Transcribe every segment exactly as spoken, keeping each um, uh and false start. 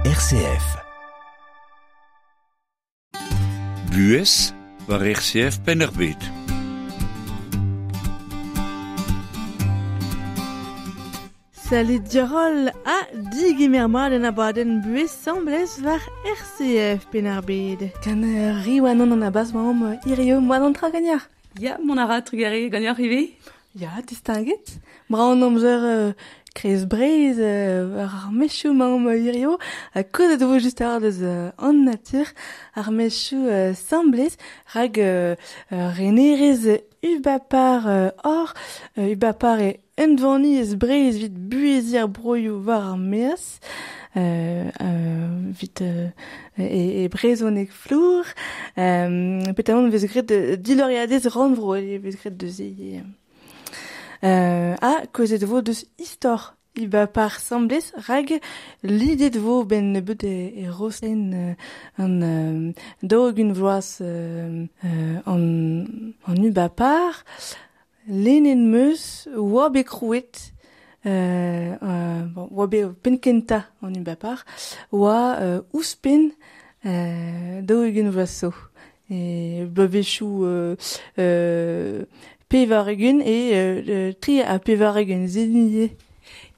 R C F. Buez war R C F Penn-ar-Bed. Salut Diorol a digemer mat en abadenn buez semblez war R C F Penn-ar-Bed. Kan riwanon an abaz maom irio moan an tra gagnard. Ya, mon ara trugare gagnard ivez. Ya, distinguet. Braon amzer euh, krez breiz euh, ar mechou maom irio a kozet vo just ar deus euh, an natur ar mechou euh, semblez rag euh, euh, renerez ubapar euh, or euh, ubapar e unvani ez breiz vit buezir broioù war ar meaz euh, euh, vit euh, e, e brezonek flour euh, petamant vez gret de diloriadez ranvro e vez gret de ze Euh, a kozet vo deus istor iba par semblez rag lidet vo ben nebeut e, e rosen euh, an euh, daou-ugent vloaz euh, euh, an, an uba par lenen meus oa bet krouet euh, euh, bon, oa bet penkenta an uba par oa euh, ouzhpenn euh, daou-ugent vloaz zo e bloavezhioù euh, euh, pevar-ugent e euh, tri ha pevar-ugent zenier.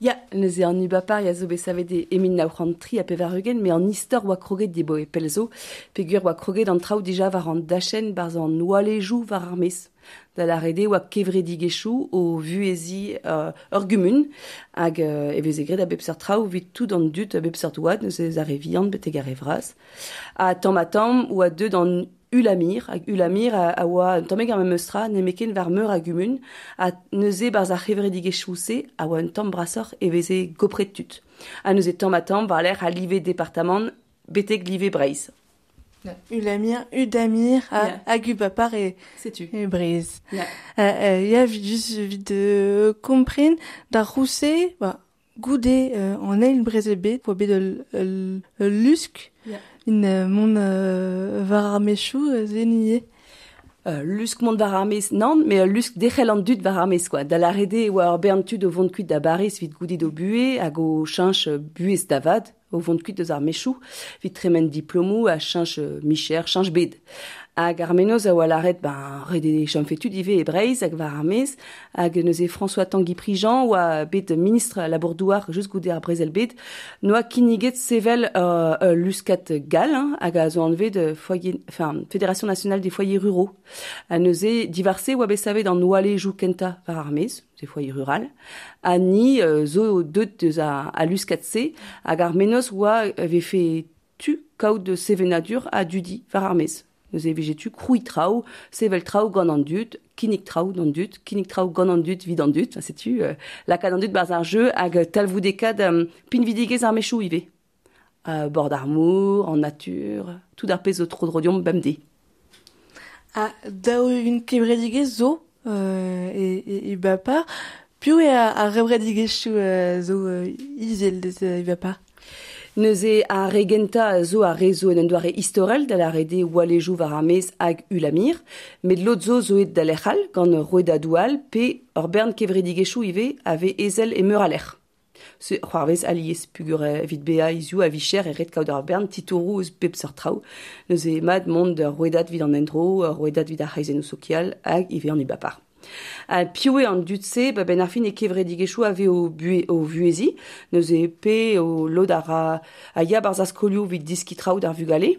Ya, neuze an ubapar ya zo bet savet e mil nav c'hant tri ha pevar-ugent, me an istor oa kroget dibo e pelzo, peogwir oa kroget an traoù dija war an dachenn barzh an oalejou war ar mez. Da lâret eo oa kevredigezhioù o vuheziñ euh, ur gumun, hag euh, e veze graet a bep seurt traoù evit tout an dud a bep seurt oad, neuze ar re vihan betek ar re vras. Ha tamm ha tamm oa deuet an Ulamir, hag Ulamir a, a oa un tammig ar memes tra, nemeken war meur a gumun, ha neuze barzh ar c'hevredigezhioù-se a oa un tamm brasoc'h e veze gopret tud. Ha neuze tamm ha tamm war lerc'h a live departamant betek live Breizh. Ulamir, Udamir, a Yeah. hag ubapar e, Setu. e Breizh. Yeah. Euh, euh, ya vit just vit euh, kompren d'ar rouse, ba, goude euh, an eil brezel bet, oa bet ul, ul, ul lusk, Yeah. in euh, mont euh, war ar mechou euh, zenier. Euh, lusk mont war ar mez, nann, mais lusk derc'hel an dud war ar mez, quoi. Da lâret eo oa ur bern tud o vont kuit da Bariz evit goudit o buhez hag o cheñch buhez da vat, o vont kuit deus ar mechou, evit tremen diplomoù ha cheñch micher, cheñch bed. Hag ar menoz a oa lâret, ben, ret eo chomfe tud ivez e Breizh hag war ar mez, hag neuze François Tanguy Prigent oa bet ministre labour-douar just goude ar brezel bet, noa kinniget sevel euh, euh, luskat gall, hein, hag a zo anvet de foyer, enfin, Fédération nationale des foyers ruraux. Ha neuze divarse oa bet savet an oalejou kenta war ar mez, des foyers rural, ha ni euh, zo deut deus a, a luskat-se, hag ar menoz oa vefe tu kaout de sevenadur a dudi war ar mez. Neuze e vije tu krouiñ traoù, sevel traoù gant an dud, kinnig traoù d'an dud, kinnig traoù gant an dud vid an dud, enfin, setu euh, lakaat an dud barzh ar jeu hag talvoudekaat euh, pinvidigezh ar mechou ivez. Euh, bord ar mor, en nature, tout ar pezh zo tro dro deomp bemdez. Ha daou-ugent kevredigezh zo euh, e, e, ubapar. Piv eo ar gevredigezhioù euh, zo euh, izel deus euh, ubapar? Neuze ar re gentañ zo ar re zo en un doare istorel da lâret eo oalejou war ar mez hag Ulamir, met lod zo zo et da lec'h all gant rouedadoù all pe ur bern kevredigezhioù ivez a vez ezel e meur a lec'h. Se c'hoarvez alies pugur evit bezañ hiziv a vicher e ret kaout ur bern titouroù eus pep seurt traoù. Neuze mat mont d'ur rouedad evit an endro, ur rouedad evit ar c'hreizennoù sokial hag ivez an ubapar. Ha piv eo an dud-se, ba ben ar fin e kevredigezhioù a vez o buhe, o vuheziñ, neuze pe o lod a ra a ya barzh ar skolioù evit deskiñ traoù d'ar vugale,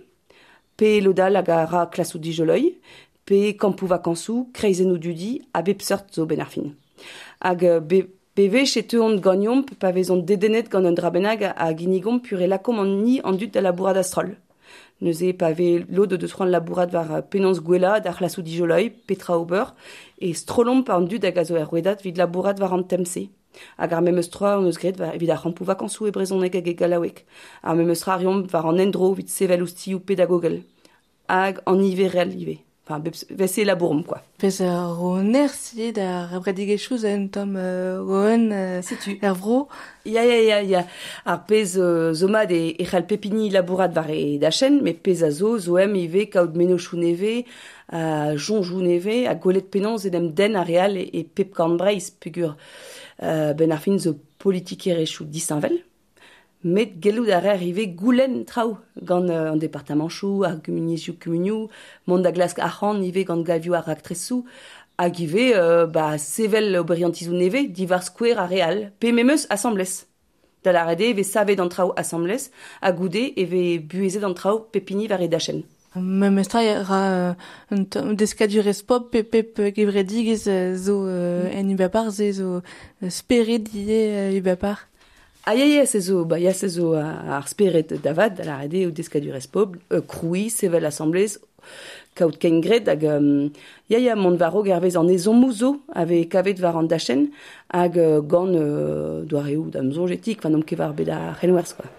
pe lod all hag a ra klasoù dijoloiñ, pe kampoù vakañsoù, kreizennoù dudi, a bep seurt zo ben ar fin. Hag be, bewech e teuont ganeomp pa vezont dedennet gant un dra bennak a ginnigomp pur e lakomp an ni an dud da labourat a-stroll. Neuze pa vez lod deus c'hoant labourat war penaos gwellañ d'ar c'hlasoù dijoloiñ, petra ober, e strollomp an dud hag a zo er rouedad evit labourat war an tem-se. Hag ar memes tra hon eus graet war evit ar c'hampoù vakañsoù e brezhoneg hag e gallaoueg. Ar memes tra a reomp war an endro evit sevel ouzhtilhoù pedagogel. Hag an niverel ivez. Enfin, bep, vese labouromp, quoi. Pezh ar ro nerzh ivez d'ar gevredigezhioù zo un tamm euh, oen euh, Setu. er vro. Ya, ya, ya, ya. Ar pezh euh, zo mat e, e c'hall pep hini labourat war e dachenn, met pezh a zo, zo em ivez kaout mennozhioù nevez, a soñjoù nevez, ha gwelet penaos en em denn ar re all e, e pep korn Breizh, peogwir euh, ben ar fin zo politikerezhioù disheñvel. Met gellout a rer ivez goulenn traoù gant euh, an departamanchoù, ar gumuniezhioù kumunioù, mont da glask arc'hant ivez gant galvioù ar raktresoù, hag ivez euh, ba, sevel oberiantizoù nevez diwar skouer ar re all, pe memes asambles. Da lâret eo e vez savet an traoù asambles, ha goude e vez buhezet an traoù pep hini war e dachenn. Memes tra e ra un tamm deskadurezh pop pe pep gevredigezh zo en ubapar, se zo spered ivez ubapar. Ah ya ya, se zo, ba ya se zo ar spered da vat, da lâret eo deskadurezh pobl, euh, krouiñ, sevel asamblez, kaout kengred hag um, ya ya mont war-raok hervez an ezhommoù zo a vez kavet war an dachenn hag euh, gant euh, doareoù da'm soñj etik, enfin n'omp ket war bet ar c'henwerzh quoi.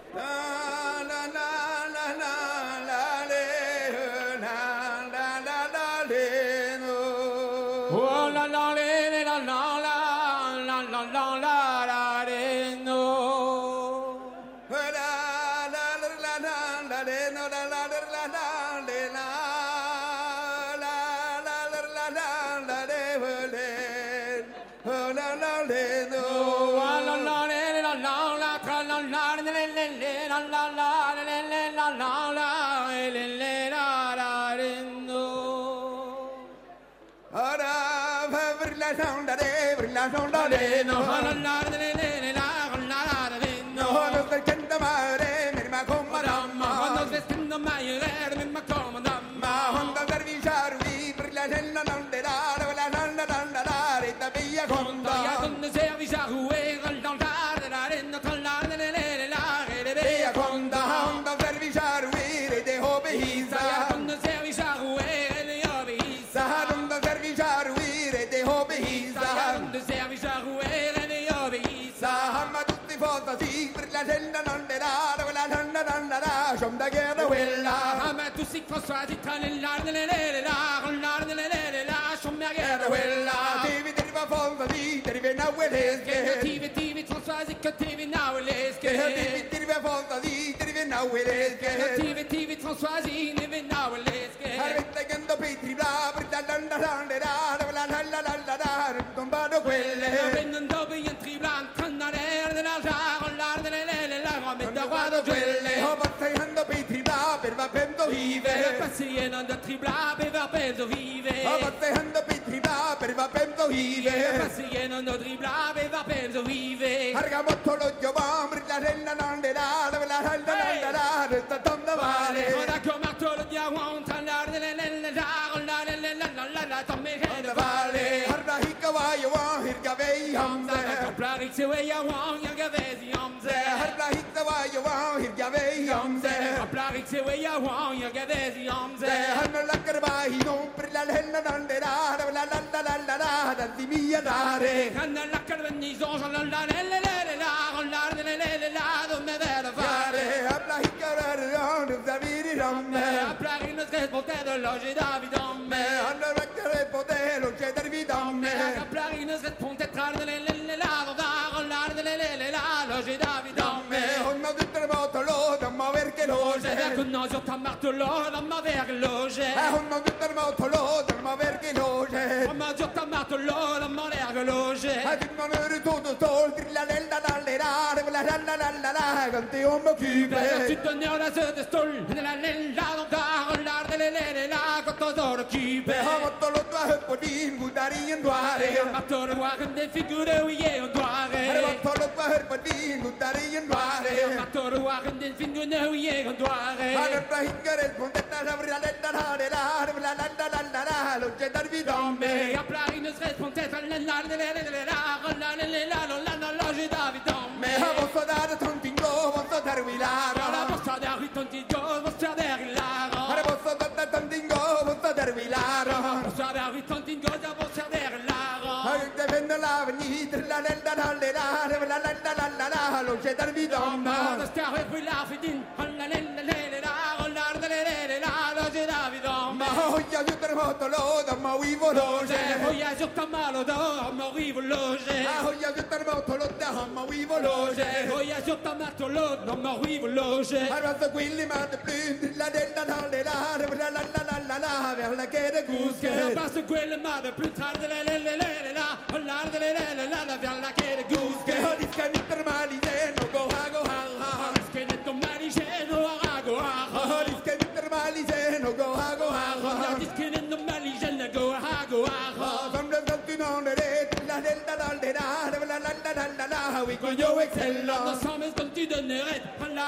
c'hwi excellent. Ensemble gant tud an eured, la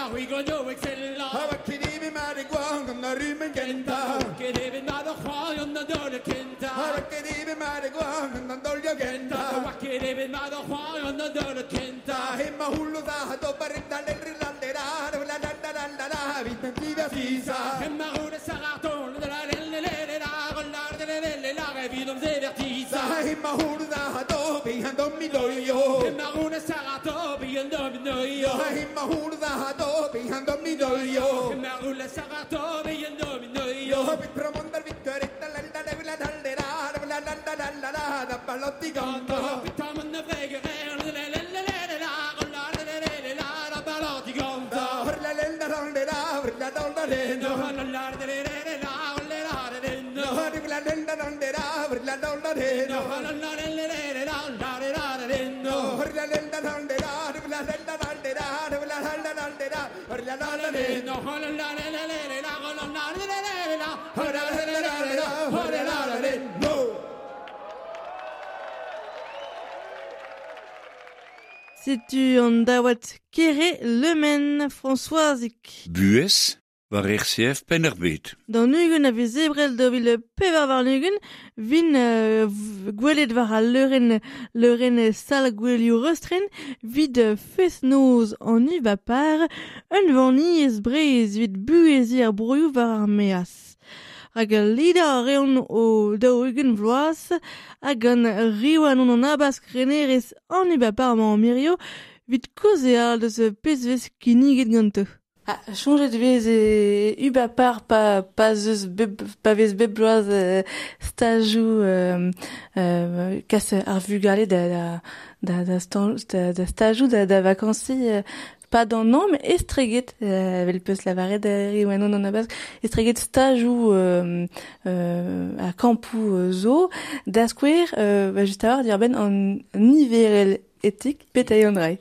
c'hwi gonio excellent. Ha va ket evet mat e gwan gant ar rumen kenta. Ket evet mat ar c'hoari gant an daol kenta. Ha ket evet mat e gwan gant an daol kenta. Ha ket evet mat ar c'hoari gant an daol kenta. Hema hullo da ha dobar da le la la la la la la la la vit en divertisa. Hema roule saraton la la la la la la la la la evit om zevertisa. Hema hullo da ha do bihan dominoio. Hema roule sarato bihan dominoio. Hema hullo da ha do bihan dominoio. Hema roule sarato bihan dominoio. Vit promondar vittoretta la la la la la la la la la la la da pallotti ganto. Vit tamon vregere la la la la la la la la la la la pallotti ganto. La la la la la la la la la la la la Setu an daouad kere lemen Françoisik. Buez war R C F Penn-ar-Bed. D'an ugent a vez ebrel da vil pevar war ugent, vin euh, gwelet war al leuren, leuren sal gwelioù rostren, vid fest-noz an ubapar, un vanniez breiz vid buezi ar broioù war ar meaz. Hag lida a reont o daou ugent vloaz, hag an riwan on an abask renerez an ubapar ma an mirio, vid kozeal deus pezvez kinniget ganto. Ah, chonjet vez e ubapar pa pa zeus beb pa vez beb bloaz euh, stajou euh, euh, kas ar vugale da da da da, stan, da, da stajou da, da vakansi euh, pas d'an an, mais estreget euh, vel peus lavaret da riwanon an abask estreget stajou euh, euh, a kampou euh, zo da skouer euh, ba just a war dir ben an niverel etik petailh an drai.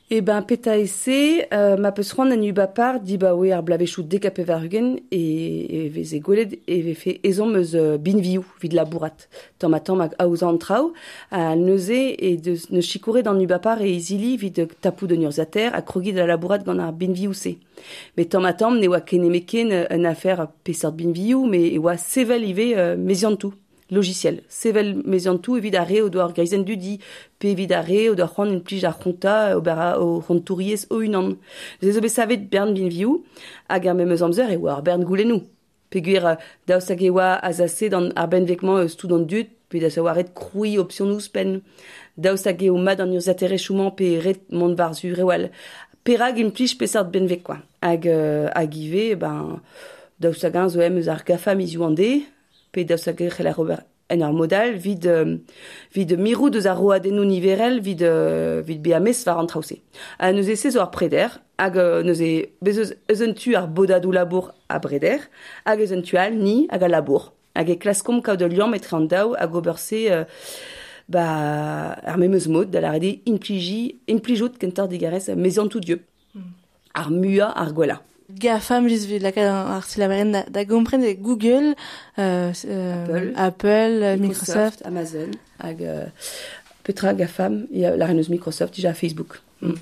E ben peta ese, euh, ma peus c'hoant an ubapar di ba oe ar blavechou dek a pevar ugent e, e veze gwelet e vefe ezhomm eus uh, binvioù vid labourat. Tamm ha tamm hag aozañ an traoù, ha neuze e deus neus sikouret an ubapar e izili vid tapout un urzhiataer ha krogiñ da labourat gant ar binvioù-se. Met tamm ha tamm ne oa ken nemetken un afer peseurt binvioù, met e oa sevel ivez euh, meziantoù. Logiciel. Sevel meziantoù evit ar re o doa ar greizenn dudi, pe evit ar re o doa c'hoant implij ar c'hontañ ober a o c'hontouriezh o-unan. Neuze zo bet savet bern binvioù, hag ar memes amzer e oa ar bern goulennoù. Peogwir daoust hag e oa azaset an ar benveg-mañ eus tout an dud, pe da savoir ret krouiñ opsionoù ouzhpenn. Daoust hag eo mat an urzhiataerezhioù-mañ pe ret mont war-zu rewal. Perak implij peseurt benveg quoi. Hag, euh, hag ivez, ben, daoust hag eñ zo em eus ar GAFA mizioù an de, pe daoust hag e c'hell ar ober en ur modal vid, euh, vid mirout deus ar roadennoù niverel vid, euh, vid bezañ mes war an traoù-se. Ha neuze se zo ar preder, hag euh, neuze bez eus, eus un tu ar bodadoù labour a breder, hag eus un tu all ni hag a labour. Hag e klaskomp kaout ul liamm etre an daou hag ober se euh, ba, ar memes mod da lâret eo impliji, implijout kentoc'h digarez meziantoù dieub. Mm. Ar muiañ ar gwellañ. GAFAM, just evit lakaat ar silaberenn da, da gompren e Google, euh, euh, Apple, Apple, Microsoft, Microsoft, Amazon, hag euh, petra GAFAM, ya la reneus Microsoft, dija Facebook. Mm.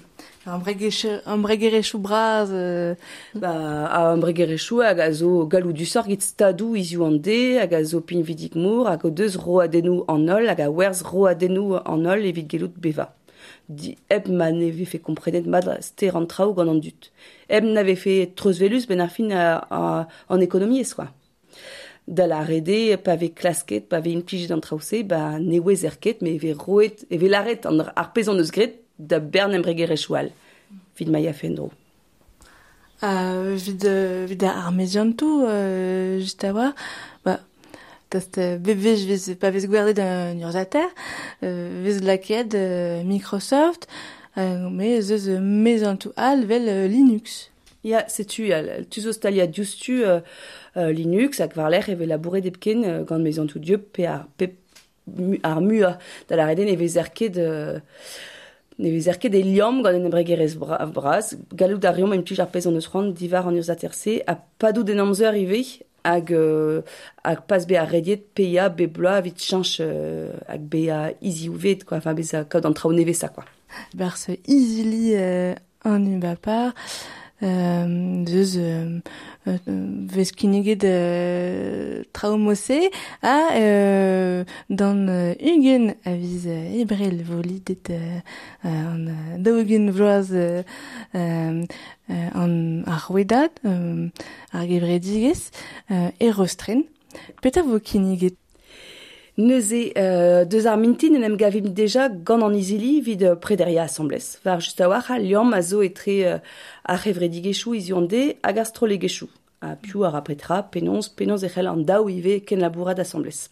Embregerezhioù bras euh... Ba, a embregerezhioù hag a zo galloudusoc'h get stadoù hiziv an de, hag a zo pinvidik-mor, hag o deus roadennoù an holl, hag a werzh roadennoù an holl evit gellout bevañ. Di, hep ma ne vefe komprenet mat ster an traoù gant an dud. Hep na vefe treuzvelus ben ar fin a, a, an ekonomiezh, quoi. Da lâret eo, pa vez klasket, pa vez implijet an traoù-se, ba ne ouezer ket, met e vez roet, e vez lâret an ar pezh hon eus graet da bern embregerezhioù all. Evit ma yafe en-dro. Euh, evit, evit ar meziantoù, euh, just a war, ba, Tast bebej vez pa vez gwerzhet un urzhiataer, euh, vez lakaet euh, Microsoft, euh, mais ez eus meziantoù all vel euh, Linux. Ya, setu, ya, tu zo staliad diouzhtu euh, euh, Linux hag war-lerc'h e vez labouret hepken euh, gant meziantoù dieub pe ar, pe mu, ar muiañ da lâret eo ne vezer ket euh, ne vezer ket e liamm gant un embregerezh bra, bras, gallout a reomp implij ar pezh hon eus c'hoant diwar an urzhiataer-se ha padout en amzer ivez. hag, euh, hag pas be ar rediet peia be bloa evit chanch euh, hag bea iziouvet, quoi, enfin beza kaout an traoù nevez quoi. Barse izili euh, an ubapar, euh, deus euh, euh, vez kinniget euh, traoù mose a euh, dan euh, ugent a viz euh, ebrel vo lidet euh, an euh, daou-ugent vloaz euh, euh, an ar rouedad, euh, ar gevredigez, euh, e rostren. Petra vo kinniget? Neuze, euh, deus ar mintin en em gavim deja gant an izili vid prederia asamblez. Var just a-walc'h a liamm a zo etre euh, ar c'hevredigezhioù hiziv an deiz hag ar strollegezhioù. Ha piv ar petra, penaos, penaos e c'hell an daou ivez kenlabourat asamblez.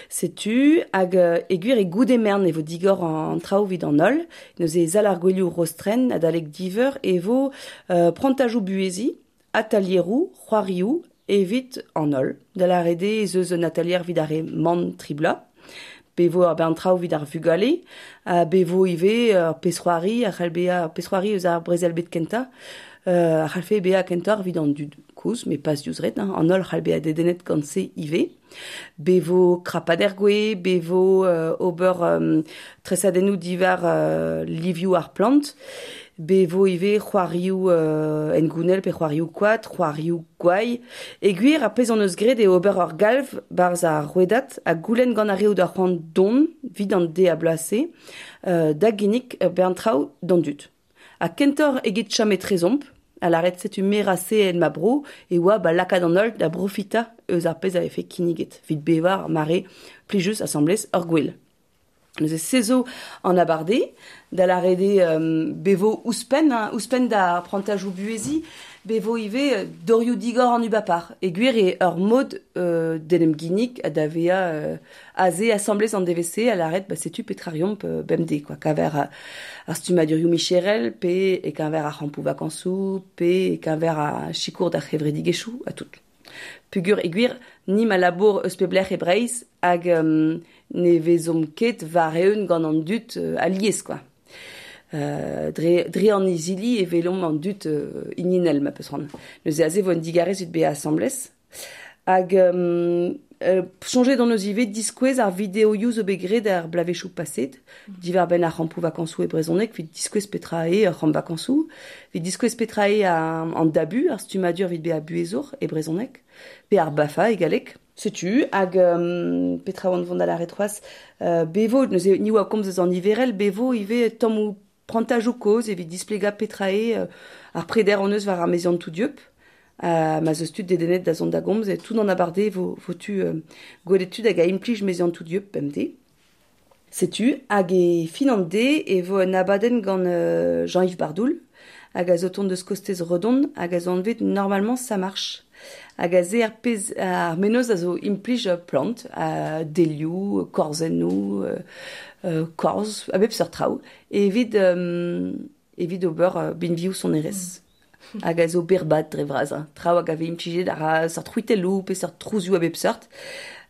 Setu hag euh, e gwir e goude mern e vo digor an traoù vid an holl, neuze zal ar gwelioù rostren adalek diveur e vo euh, prantajoù buhezi, atelieroù, c'hoarioù, evit an holl. Da lâret eo ez eus un atelier vid ar re man tribla, bevo ar bern traoù vid ar vugale, ha bevo ivez ur pezh c'hoari, a c'hell bezañ ur pezh c'hoari eus ar brezel bet kentañ, euh, a c'hallfe bezañ kentoc'h evit an dud kozh, met pas diouzh ret, hein, an holl c'hall bezañ dedennet gant se ivez. Bevo krapader gwe, bevo euh, ober euh, tresadennoù diwar euh, livioù ar plant, bevo ivez c'hoarioù euh, engounel pe c'hoarioù koad, c'hoarioù gwai. E gwir ar pezh hon eus graet eo ober ur galv barzh ar rouedad ha goulenn gant ar re o doa c'hoant don evit an deiz ha bloaz-se euh, da ginnig ur bern traoù d'an dud. Ha kentoc'h eget chom etrezomp, a lâret setu me ra se en ma bro, e oa ba lakaat an holl da brofitañ eus ar pezh a vefe kinniget, evit bevañ ar mare plijus asamblez ur gwel. Neuze se zo an abarde, da lâret eo euh, bevo ouzhpenn, hein, ouzhpenn da prantajoù buhezi, bevo ivez dorioù digor an ubapar. E gwir eo ur mod euh, d'en em ginnig ha da vezañ euh, aze asamblez an D V C, a lâret ba setu petra reomp euh, bemdez, quoi, kaver ar, ar stummadurioù micherel, pe e keñver ar c'hampoù vakansoù, pe e keñver ar sikour d'ar c'hevredigezhioù, ha tout. Pugur e gwir, ni ma labour eus peblec'h e Breizh hag euh, ne vezomp ket war-eeun gant an dud euh, alies, quoi. Euh, dre, dre an izili e velomp an dud euh, ininel, ma peus c'hoant. Neuze aze vo un digarez ut bezañ asamblez. Hag euh, euh, soñjet hon eus ivez diskouez ar videoioù zo bet graet ar bloavezhioù paset, diwar-benn ar c'hampoù vakansoù e brezhoneg, evit diskouez petra eo ar c'hamp vakansoù, evit diskouez petra eo an, an dabu, ar stummadur evit bezañ buhezour e brezhoneg, pe ar BAFA e galleg. Setu, hag um, petra oan vont da lâret c'hoazh, euh, bevo, neuze ni oa komz eus an niverel, bevo ivez tammoù prantajoù kozh evit displegañ petra eo euh, ar preder hon eus war ar meziant tout dieub. Uh, ma zeus tud dedennet da zont da gomz, e tout an abarde vo, vo tu euh, gwelet tud hag a implij meziant tout dieub bemdez. Setu, hag e fin an deiz e vo un abadenn gant euh, Jean-Yves Bardoul, hag a zo tont deus kostez Redon, hag a zo anvet Normalement ça marche. Hag a ze ar pezh ar menoz a zo implij plant, a delioù, korzennoù, euh, euh, korz, a bep seurt traoù, evit, euh, evit ober euh, binvioù sonerezh. Mm. Hag a zo berbat dre vras, hein. Traoù hag a vez implijet ar seurt c'hwitelloù pe seurt trouzioù a bep seurt,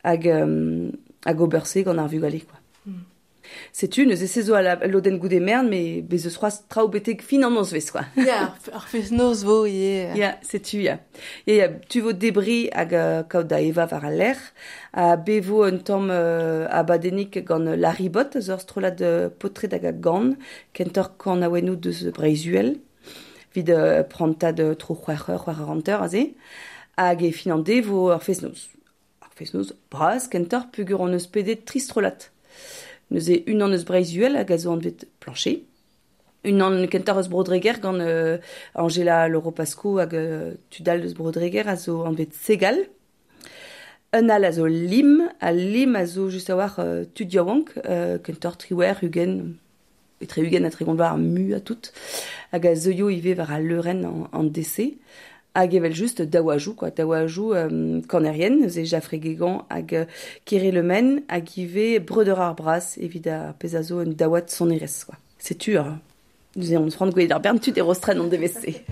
hag, euh, hag ober se gant ar vugale, quoi. Mm. Setu, neuze se zo a la lodenn goude mern, met bez eus c'hoazh traoù betek fin an nozvezh, quoi. Ya, ar fest-noz vo ivez. Ya, setu, ya. Ya, ya, tu vo debri hag euh, kaout da evañ war al lec'h, ha bevo un tamm euh, abadennig gant Larry Bot, eus ur strollad euh, paotred hag a gan, kentoc'h kanaouennoù deus Breizh-Uhel, evit euh, prantad euh, tro c'hwec'h eur, c'hwec'h eur hanter aze, hag e fin an deiz vo ur fest-noz. Ar fest-noz bras, kentoc'h peogwir hon eus pedet tri strollad. Neuze unan eus Breizh-Uhel hag a zo anvet Plancher, unan kentoc'h eus Bro-Dreger gant euh, Angela Loro-Pasco hag euh, tud all eus Bro-Dreger a zo anvet Segal. Un all a zo Lim, ha Lim a zo just a-walc'h euh, tud yaouank, euh, kentoc'h triwec'h, ugent, etre ugent ha tregont vloaz ar mu ha tout, hag a zeuio ivez war al leurenn an, an D C. Hag evel just daouajoù, quoi, daouajoù euh, kanerien, neuze Jaffré Guégan hag euh, Kere Le Men, hag ivez Breudeur ar Bras evit ar pezh a zo un daouad sonerezh, quoi. Setu, euh, neuze on c'hoant gwelet ar bern tud e Rostren an D V C.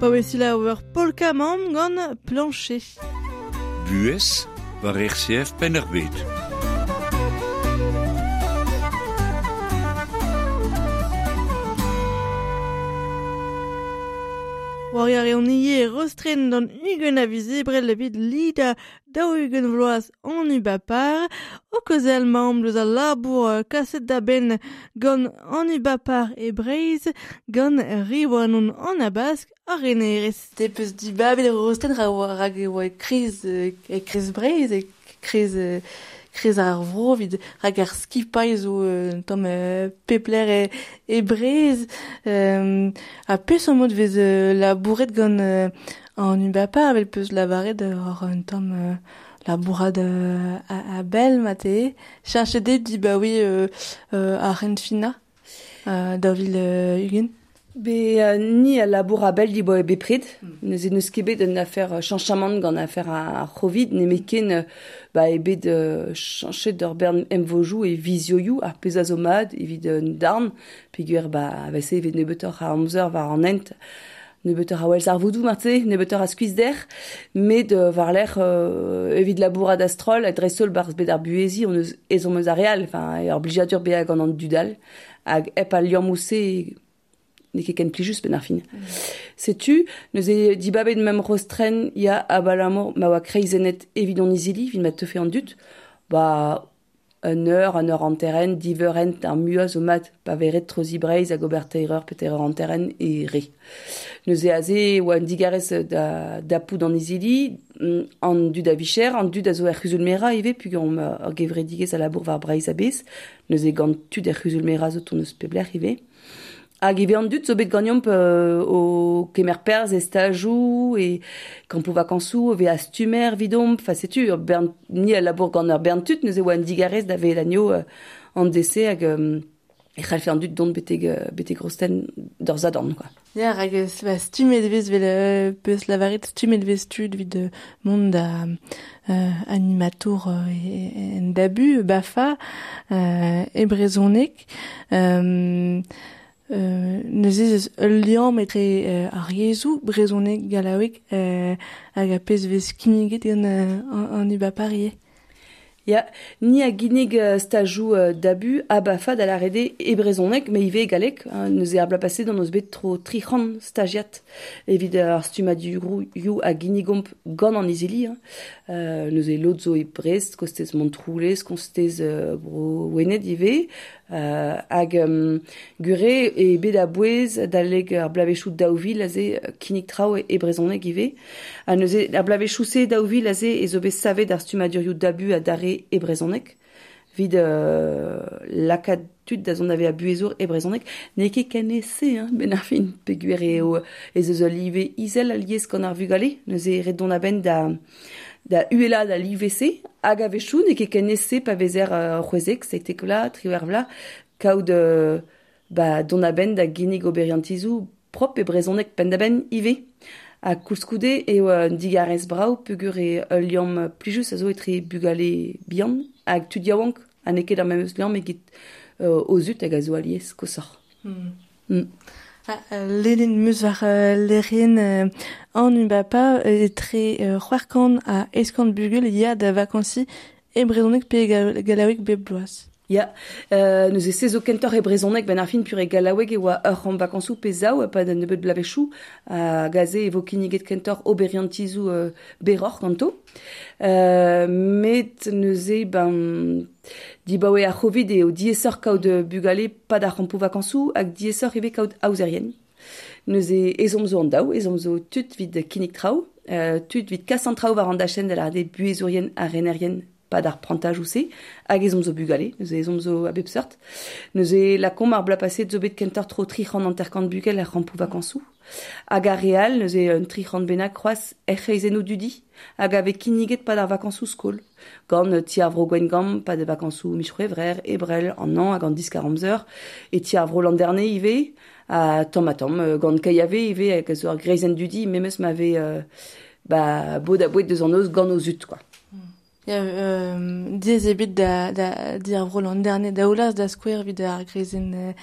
Pa wesila ur polka mamm gant plancher. Buez war R C F Penn-ar-Bed. War ar eon ie rostren d'an ugen a vizebrel evit lida daou ugen vloaz an ubapar, o kozel mamm deus al labour kaset da ben gant an ubapar e Breiz, gant riwanon an abask ar renerez. Te peus dibabet rostren rag e oa kriz, e kriz Breiz, e kriz... Kriz ar vro vid rag ar skipailh zo un tamm pepler e, e Breiz euh, a peus an mod vez labouret gant euh, an ubapar avel peus lavaret ur un tamm euh, labourad euh, a, a bel mate cherchet de di ba oui euh, euh, ar renfina euh, da vil euh, Ugen. Be euh, ni a labour a bel di boe bepred, mm. Neuze neus ket bet un affaire chanchamant gant affaire a, a Covid, ne ken ba e bet euh, chanchet d'ur bern emvojou e vizioioù ar pezh a zo mat evit un darn, peogwir ba vese evit nebeutoc'h a amzer war an hent, nebeutoc'h a welz ar voudou marteze, nebeutoc'h a skuizhder, met euh, war lec'h euh, evit labourad astrol, a dreist-holl barzh bet ar buhezi, on eus ezhomm eus ar real, enfin, ur blijadur bezañ gant an dudal, hag hep al liammoù-se ne ket ken plijus ben ar fin. Mm. Setu, neuze dibabet mem rostren ya abalamour ma oa kreizennet evit an izili, evit ma teufe an dud, ba un eur, un eur anteren, diverent ar mua zo mat, pa veret trozi Breiz hag ober teir eur pe teir eur anteren e re. Neuze aze oa un digarez da, da poud an izili, an dud a vicher, an dud a zo er c'huzul-mera ivez, pug an ur gevredigezh a labour war Breiz a-bez, neuze gant tud er c'huzul-mera zo ton eus peblec'h ivez. Hag ivez an dud zo bet ganeomp euh, o kemer perzh e stajoù e kampoù vakañsoù, ve a stumer vidomp, fa setu, ur bern, ni a labour gant ur bern tud, neuze oa un digarez da vel anio euh, an dese hag euh, e c'hallfe an dud dont betek, betek rosten d'ur zadorn, quoi. Ya, rag ba, stumet vez vel euh, peus lavaret stumet vez tud vid mont da euh, animatour euh, en dabu, bafa, euh, e brezhoneg, euh, Euh, neuze eus ul liamm etre euh, ar yezhoù brezhoneg gallaoueg euh, hag a pezh vez kinniget gant euh, an, an ubapar ivez. Ya, ni a ginnig stajoù uh, dabu a bafa da l'arede e brezhoneg, me ivez galleg, hein, neuze ar bloaz paset d'an eus bet tro tri c'hant stagiat evit ar stummadurioù a ginnigomp gant an izili. Hein. Euh, neuze lod zo e Brest, kostez Montroulez, kostez uh, bro Wened ivez, euh, hag um, gure e bet a bouez da leg ar blavechoù daou vil aze kinnig traoù e, e brezhoneg ivez. Ha neuze ar blavechoù-se daou vil aze e zo bet savet ar stummadurioù dabu a dare e brezhoneg, vid euh, lakaat tud da zont ave a buhezour e brezhoneg, n'eo ket ken ese, hein, ben ar fin, peogwir eo ez eus ul live izel alies gant ar vugale, neuze ret dont a-benn da da uhelaat al live-se, hag a-wechoù n'eo ket ken ese pa vezer uh, c'hwezek, seitek vloaz, triwec'h vloaz, kaout euh, ba, dont a-benn da ginnig oberiantizoù prop e brezhoneg penn-da-benn ivez. Ha koulskoude eo un digarez brav peogwir eo ul liamm plijus a zo etre bugale bihan hag tud yaouank, ha n'eo ket ar memes liamm egit euh, o zud hag a zo alies koshoc'h. Mm. Mm. Ah, Lenin meus war euh, lerien euh, an ubapa etre euh, c'hwec'h kant ha eizh kant bugel ya da vakansi e brezhoneg pe gallaoueg bep bloaz. Ya, euh, neuze se zo kentoc'h e brezhoneg ben ar fin pur e gallaoueg e oa ur c'hant vakañsoù pe zaou pa da nebeut blavechoù hag aze e vo kinniget kentoc'h oberiantizoù euh, berroc'h ganto. Euh, met neuze ben dibaoe ar Covid eo diaesoc'h kaout bugale pad ar c'hampoù vakañsoù hag diaesoc'h ivez kaout aozerien. Neuze ezhomm zo an daou, ezhomm zo tud vid kinnig traoù, euh, tud vid kas an traoù war an dachenn da lâret buhezourien ha renerien pad ar prantajoù-se, hag ezhomm zo bugale, neuze ezhomm zo a bep seurt. Neuze lakaomp ar bloaz paset zo bet kentoc'h tro tri c'hant hanter-kant bugel ar c'hampoù vakañsoù. Hag ar re all, neuze un tri c'hant bennak c'hoazh er c'hreizennoù dudi, hag a vez kinniget pad ar vakañsoù skol. Gant ti ar vro Gwengamp, pad ar vakañsoù miz C'hwevrer, Ebrel, an hañv hag an diskar amzer, e ti ar vro Landerne ivez, ha tamm ha tamm, gant Kaiave ivez, hag a zo ar greizenn dudi, memes ma vez euh, ba, bod a boued deus an noz gant o zud, quoi. Ya, euh, diez ebet da, da, di ar vro l'an dernier da oulaz da skouer vid ar grezen euh,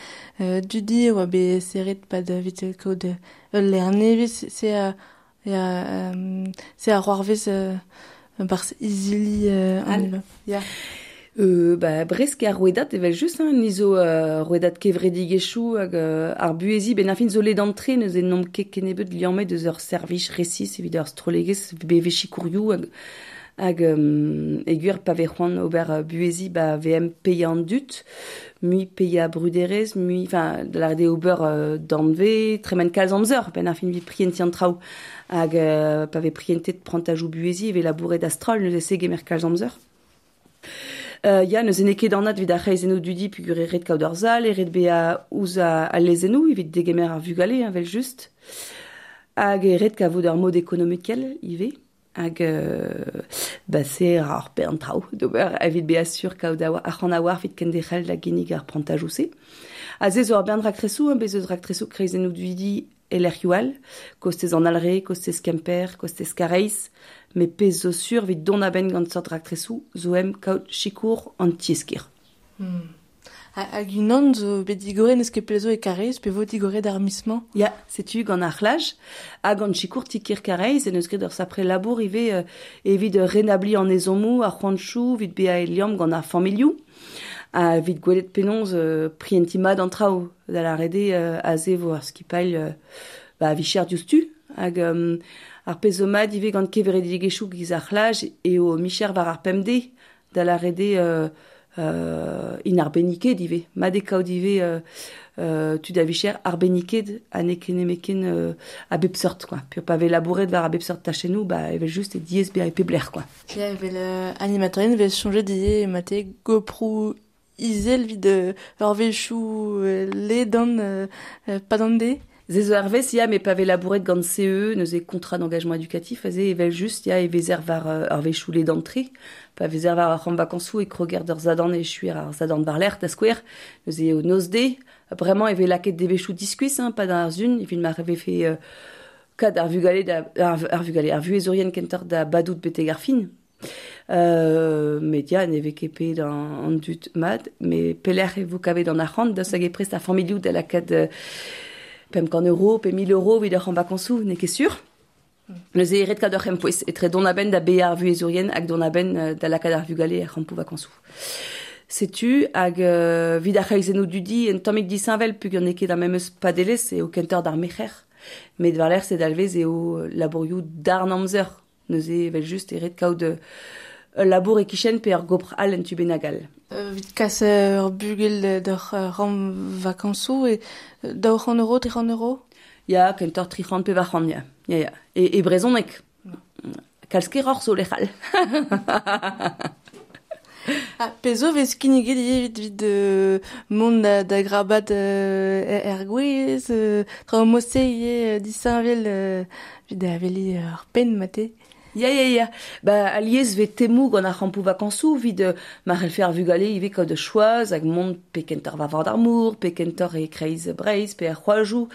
euh, dudi oa be serret pad vit kaout ul lernevez, se a, ya, euh, se a roarvez euh, barz izili euh, an Ya. Euh, ba, bresk ar rouedat evel just, hein, ni zo euh, rouedat kevredigezhioù hag euh, ar buezi ben ar fin zo let d'entrée neus en nomp ket kennebeut liammet deus ur servij resis evit ur strollegezh beve sikourioù hag hag um, egur pa ve c'hoant ober buezi ba V M peia an dut, mui peia bruderez, mui, enfin, da la rede ober euh, danve, tremen kalz amzer, ben ar fin vi prienti an traoù, hag euh, pa ve prientet prantajou buezi ve labouret astrol neus ese gemer kalz amzer. Euh, ya, neus ene ket anat evit ar c'hreizennoù dudi pugur e ret kaout ar zal, e ret bea ouzh a lezennoù evit degemer ar vugale, hein, vel just. Hag e ret kavout ar mod ekonomikel ivez. Hag euh, ba se ar bern traoù d'ober evit bea sur kaout ar c'han a war evit kenderc'hel da ginnig ar prantajoù se. Ha se zo ar bern raktresoù, hein, bez eus raktresoù kreizennoù dudi e lec'hioù all, kostez an Alre, kostez Kemper, kostez Kareiz, me pezh zo sur evit dont a-benn gant seurt raktresoù zo em kaout sikour an tieskir. Hmm. Hag unan zo bet digore n'eus ket pell zo e Kareiz, pe vo digore d'ar miz-mañ? Ya, setu gant ar c'hlaj, hag gant sikour tikir Kareiz, en eus graet ur sapre labour ivez euh, evit renabli an ezhommoù, ar c'hoantoù, evit bezañ e liamm gant ar familhoù, ha evit gwelet penaos euh, prientiñ mat an traoù, da la rede euh, aze vo ar skipailh euh, ba, vicher diouzhtu, hag euh, ar pezh zo mat ivez gant kevredigezhioù giz ar c'hlaj eo micher war ar pemdez, da la rede euh, euh, in arbenniket ivez, mat e kaout ivez euh, euh, tud a vicher arbenniket ha n'eo ket nemetken euh, a bep seurt, quoi. Pur pa vez labouret war a bep seurt tachennoù, ba evel just e diaes bezañ e pep lec'h, quoi. Ya, evel euh, animatorien vez soñjet ivez mate GoPro izel vid euh, ur wechoù euh, ledan euh, euh, padande. Ze zo arvez, ya, me pa vez labouret gant C E E, neuze contrat d'engagement éducatif, aze evel just, ya, e vezer war euh, ar wechoù le d'entrée, pa vezer war ar c'hant vakañsoù e kroger d'ur zadan e chuer ar zadan war lec'h da skouer, neuze eo noz de, vraiment e vez lakaet de wechoù diskuizh, hein, pa d'ar zun, evit ma vefe euh, kad ar vugale da, ar, ar vugale, ar vuhezourien kentoc'h da badout betek ar fin. Euh, met ya, ne vez ket pet an, an dud mat, me pelec'h e vo kavet an arc'hant, da hag e prest ar familhoù da lakaat euh, pemp kant euro, pe mil euro evit ur c'hant vakañsoù, n'eo ket sur. Neuze e ret kat ur c'hempouez, etre dont a-benn da bezañ ar vuhezourien hag dont a-benn da lakaat ar vugale er c'hampoù vakañsoù. Setu hag euh, vid ar c'hreizennoù dudi un tammig disheñvel pugur n'eo ket ar memes padelezh eo kentoc'h d'ar merc'her. Met war-lerc'h se dalvez eo labourioù darn amzer. Neuze evel just e ret kaout ul labour e-kichen pe ur gopr all en tu bennak all. Euh, vit kas ur bugel d'ur ram vakañsoù e daou c'hant euro, tri c'hant euro? Ya, kentoc'h tri c'hant pevar c'hant, ya. Ya, ya. E, e brezhoneg. Kalz keroc'h zo lec'h all. Ah, pezh zo vez kinniget ivez evit evit euh, mont da, da grabat euh, er gwez, euh, traoù mod-se ivez disheñvel euh, evit da aveliñ ar penn mate. Ya, ya, ya. Ba, alies vez temoù gant ar c'hampoù vakañsoù evit euh, ma c'hellfe ar vugale ivez kaout choaz hag mont pe kentoc'h war vord ar mor, pe kentoc'h e kreiz Breizh, pe ar c'hoajoù,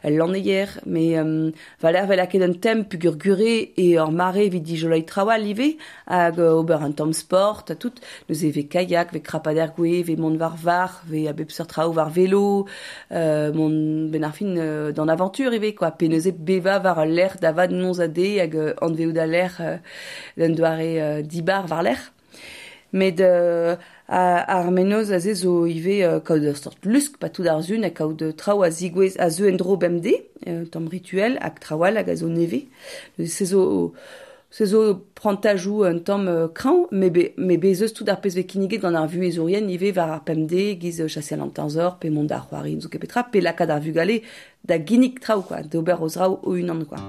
el lanneier. Mais euh, valer vel lakaet un tem pugur gure e ur mare evit dijoloiñ traoù all ivez, hag euh, ober un tamm sport, ha tout. Neuze vez kayak, vez krapader gwez, vez mont war var, vez a bep seurt traoù war velo, euh, mont ben ar fin euh, d'an aventure ivez, quoi. Pe neuze beva war al lec'h da vad noz a de hag euh, anveout al lec'h euh, d'un doare euh, dibar war lec'h. Met euh, ar menoz aze zo ivez euh, kaout ur sort lusk pa tout ar zun ha kaout traoù a zigouez a zeu en-dro bemdez, euh, tamm rituel hag traoù all hag a zo nevez. Se zo, se zo prantajoù un tamm euh, krañv, me be, me bez eus tout ar pezh vez kinniget gant ar vuhezourien ivez war ar pemdez, giz chaseal an teñzor, pe mont d'ar c'hoari zo ket petra, pe lakaat ar vugale da ginnig traoù, quoi, d'ober o zraoù o-unan, quoi.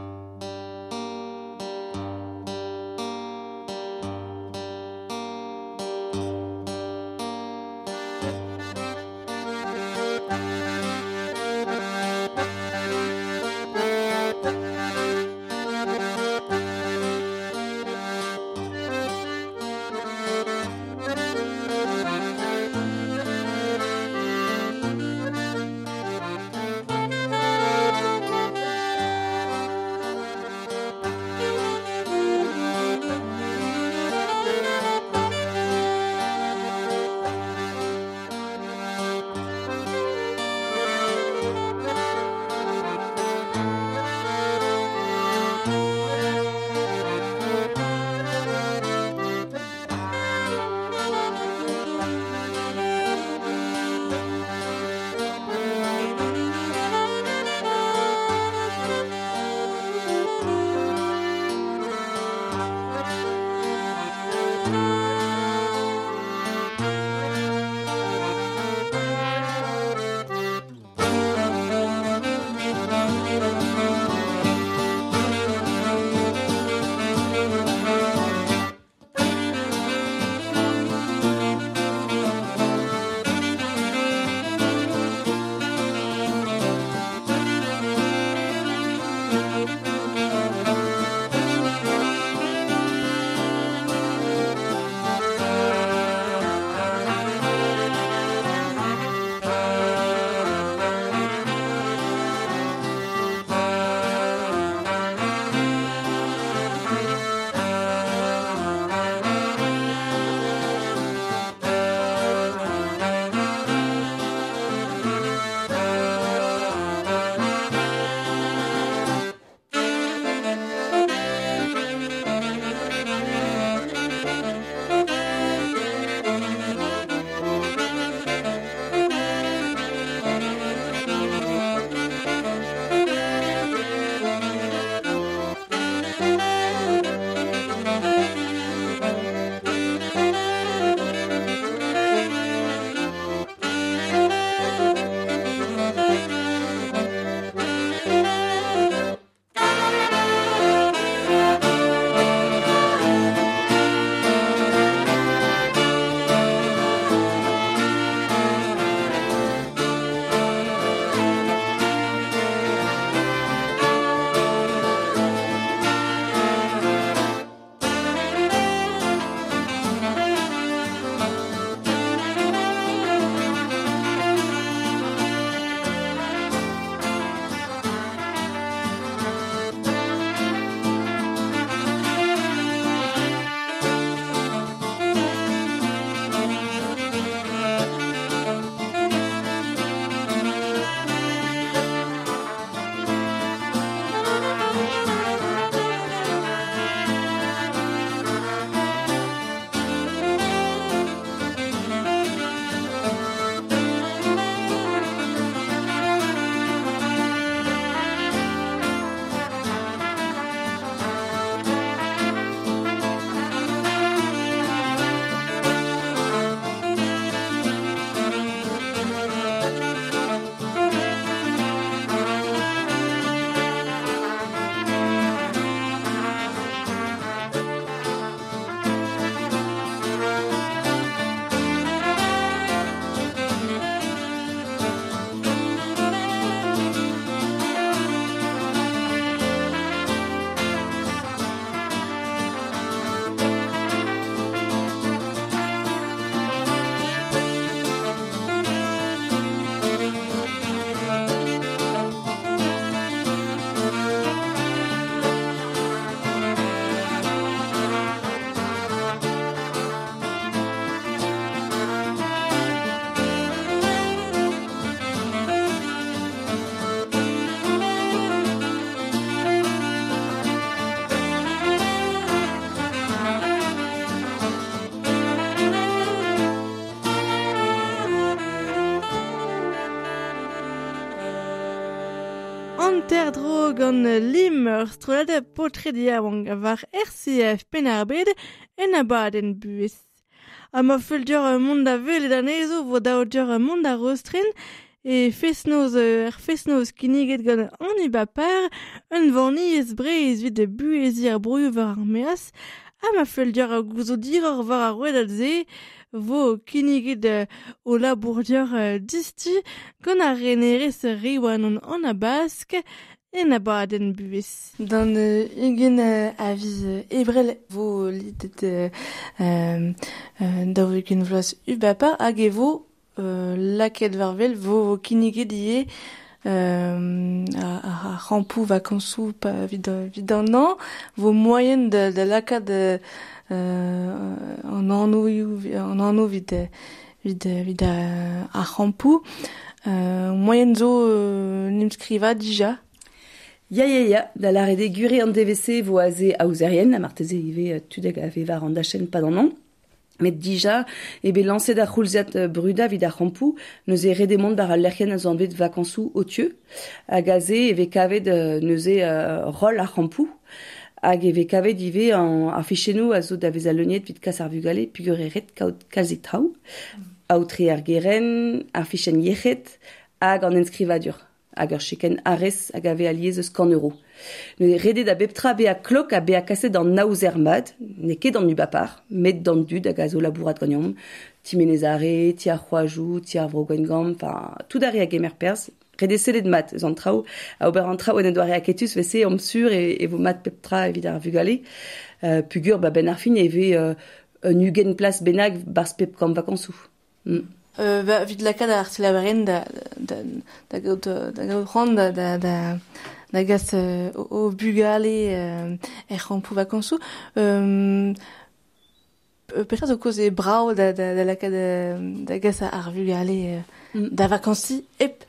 Erdro gant lim ur strollad paotred yaouank war R C F Penn-ar-Bed en abadenn buhez. Ha ma fell deoc'h mont da welet anezho vo dav deoc'h mont da Rostren e fest-noz er fest-noz kinniget gant an Ubapar, un vanniez Breizh evit buheziñ ar broioù war ar maez. Ha ma fell deoc'h gouzout hiroc'h war ar rouedad-se vo kinniget o labour deoc'h disti gant ar renerez Riwanon an Abask en abadenn buhez. D'an ugent a viz Ebrel vo lidet euh, daou ugent vloaz Ubapar hag e vo euh, lakaet war wel vo kinniget ivez euh, ar c'hampoù vakañsoù pa evit evit an an vo moaien da, da lakaat euh, an anv an anv evit evit evit ar c'hampoù euh, moaien zo euh, n'em skriva dija. Ya, ya, ya, da lâret eo gure an D V C vo aze aozerien, ha marteze ivez tudeg a vez war an dachenn pad an an. Met dija, e bet lañset ar c'houlziad bruda evit ar c'hampoù, neuze ret eo mont war al lec'hienn a zo anvet vakañsoù otieu, hag aze e vez kavet neuze roll ar c'hampoù, hag e vez kavet ivez an ar fichennoù a zo da vezañ leuniet evit kas ar vugale peogwir eo ret kaout kalzik traoù, aotre ar gerent, ar fichenn yec'hed, hag an enskrivadur. Hag ur chekenn arrez hag a vez alies eus kant euro. Neuze ret eo da bep tra bezañ klok ha bezañ kaset d'an aozer mat, n'eo ket d'an Ubapar, met d'an dud hag a zo labourat ganeomp, ti Menez-Are, ti ar C'hoajoù, ti ar Vro Gwengamp, enfin, tout ar re a gemer perzh, ret eo sellet mat eus an traoù, a ober an traoù en un doare aketus, vese omp sur e, e vo mat pep tra evit ar vugale. Euh, pugur, ba ben ar fin e vez euh, un ugent plas bennak barzh pep kamp vakañsoù. Mm. Euh, ba, evit lakaat ar selaouerien da, da, da gaout, da gaout c'hoant da, da, da, da gas euh, o, o bugale euh, er c'hampoù vakañsoù. Euh, petra zo kaoz eo brav da, da, da lakaat da gas ar vugale euh, mm. da vakañsiñ hep,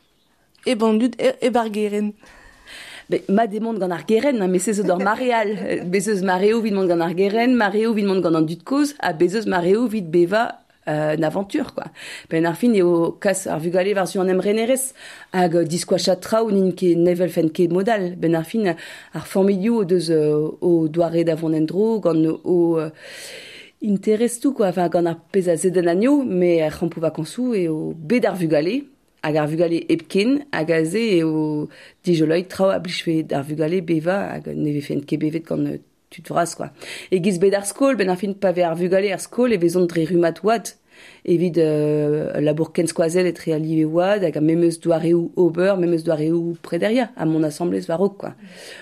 hep an dud, hep ar gerent. Be, mat eo mont gant ar gerent, hein, met se zo d'ur mare all. Bez eus mareoù evit mont gant ar gerent, mareoù evit mont gant an dud kozh, ha bez eus mareoù evit bevañ Euh, une aventure quoi. Ben ar fin eo kas ar vugale war zu an emrenerez hag diskoachat traoù n'int ket nevel fen ket modal. Ben ar fin ar familhoù o deus o doare da vont en-dro gant o euh, interestoù quoi, enfin gant ar pezh a zedenn anezho, met ar c'hampoù vakañsoù eo bet ar vugale hag ar vugale hepken hag aze eo dijoloiñ traoù a blijfe d'ar vugale bevañ hag ne vefen ket bevet gant tud vras quoi. E giz bet ar skol, ben ar fin pa vez ar vugale ar skol e vezont dre rummad oad evit euh, labour kenskoazell etre al live oad hag a memes doareoù ober, memes doareoù prederia a mon assemblez war-raok quoi.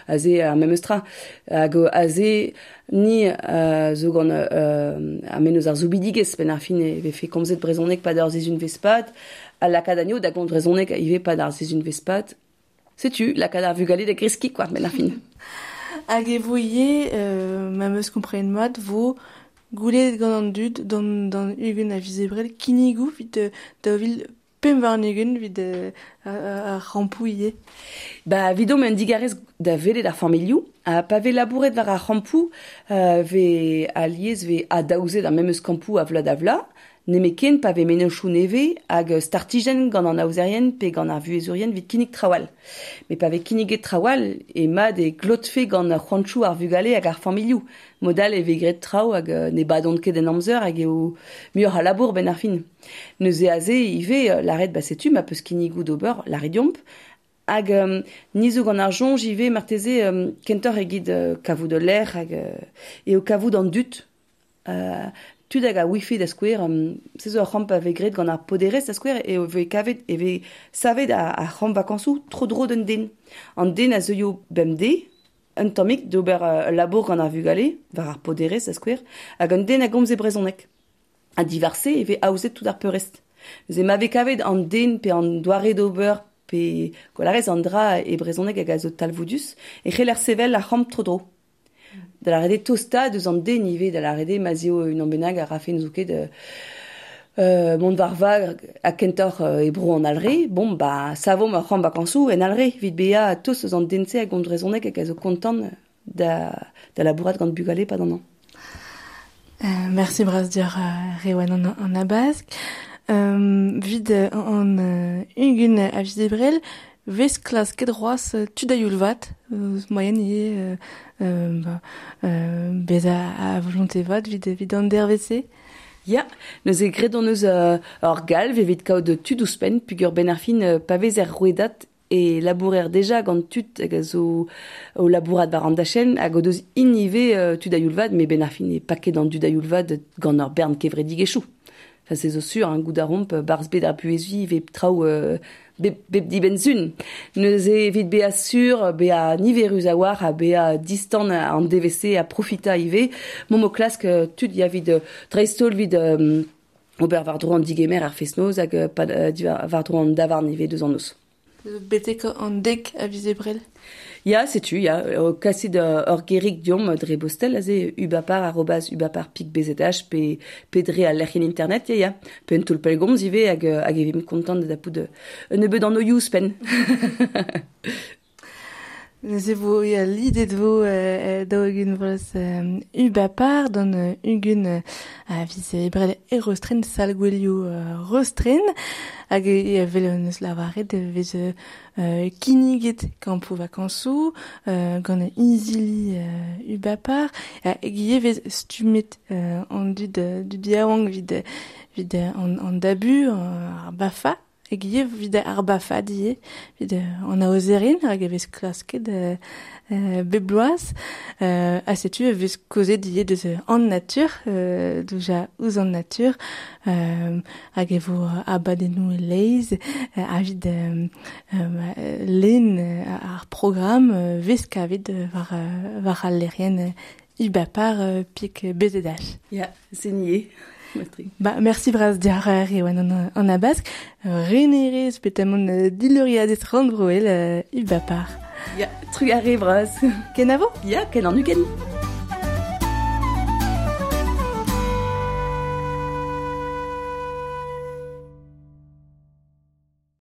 Aze ar memes tra. Hag aze ni euh, zo gant euh, ar menos ar zoubidigez ben ar fin e vefe komzet brezhoneg pad ar sizhun vespad, a lakaat anezho da gomz brezhoneg ivez pad ar sizhun vespad. Setu, lakaat ar vugale da greskiñ quoi, ben ar fin. Hag e vo ivez, euh, ma meus komprenet mat, vo goulennet gant an dud d'an, d'an ugent a viz Ebrel kinnigoù evit daou vil pemp warn-ugent evit ar c'hampoù ivez. Ba, evidomp un digarez da welet ar familhoù, ha pa vez labouret war ar c'hampoù, euh, vez alies vez adaozet ar memes kampoù a vloaz da vloaz, nemetken pa vez mennozhioù nevez hag startijenn gant an aozerien pe gant ar vuhezourien evit kinnig traoù all. Met pa vez kinniget traoù all e mat e glotfe gant ar c'hoantoù ar vugale hag ar familhoù. Modal e vez graet traoù hag ne badont ket en amzer hag eo muioc'h a labour ben ar fin. Neuze aze ivez lâret ba setu ma peus kinnigoù d'ober lâret deomp. Hag um, ni zo gant ar soñj ivez marteze um, kentoc'h egit uh, kavout ul lec'h hag uh, eo kavout an dud. Uh, tud hag a wifi da skouer, um, se zo ur c'hamp a vez graet gant ar poderez da skouer, e vez kavet, e vez savet ar, ar c'hamp vakañsoù tro-dro d'un den. An den a zeuio bemdez, un tammig d'ober uh, labour gant ar vugale, war ar poderez da skouer, hag un den a gomz e brezhoneg. Ha diwar-se e vez aozet tout ar peurrest. Neuze ma vez kavet an den pe an doare d'ober pe kolarez an dra e brezhoneg hag a zo talvoudus, e c'heller sevel ar c'hamp tro-dro. Da lâret eo tostaat eus an den ivez, da lâret eo ma'z eo unan bennak a rafe n'zo ket euh, mont war vag ha kentoc'h e bro an Alre, bon, ba, savomp ur c'hamp vakañsoù en Alre, evit bezañ tost eus an den-se hag gomz brezhoneg hag a zo kontant da, da labourat gant bugale pad an an. Euh, merci bras deoc'h Riwan an, an Abask. Euh, vid an, an ugent a viz Ebrel, Vez klasket c'hoazh tud a youl vat, eus moaien ivez euh, euh, euh, bez a, a volonté vat evit, evit an dervez-se. Ya, neuze graet hon eus euh, ur galv evit kaout tud ouzhpenn peogwir ben ar fin euh, pa vez er rouedad e labourer deja gant tud hag a zo o labourat war an dachenn hag o deus int ivez euh, tud a youl vat, met ben ar fin e paket an dud a youl vat gant ur bern kevredigezhioù. Enfin, c'est zo sur, hein, goût a romp, barz bet ar buezvi ve traoù euh, bep, bep dibenn-sun. Neuze evit bezañ sur, bezañ niverus a-walc'h ha bezañ distan an D V C a profita ivez, momp o klask tud ya evit dreist-holl evit euh, ober war-dro an digemer ar fest-noz hag pa, euh, war-dro an davarn ivez deus an noz. Betek an dek a viz Ebrel. Ya, setu, ya, o kasit ur gerig diomp dre bostel, aze ubapar arobase ubapar pik bzh pe, pe dre al lec'hienn internet, ya, ya. Pe un toull pellgomz ivez hag, hag e vimp kontant da dapout un nebeud an oioù ouzhpenn. Neuze vo ya lidet vo euh, daou-ugent vloaz euh, ubapar d'an euh, ugent euh, a viz Ebrel e Rostren sal gwelioù euh, Rostren hag e vel eus lavaret vez euh, kinniget kampoù vakañsoù euh, gant izili euh, ubapar hag ivez vez stummet euh, an dud dud yaouank vid vid an, an dabu ar bafa hag ivez vid ar bafad ivez vid an aozerin hag e vez klasket euh, euh, bep bloaz euh, ha setu e vez kozet ivez deus an natur euh, douja ouzh an natur euh, hag e vo abadennoù e-leizh euh, evit euh, euh, lenn ar programm euh, vez kavet war, war al lec'hienn ubapar euh, pik bzh. Ya, c'est nié. Ba, merci bras diar Riwan an, an abask. Renerez petamon diluriadez rannvroel ubapar. Ya, trugarez bras. Kenavo? Ya, ken an ugent.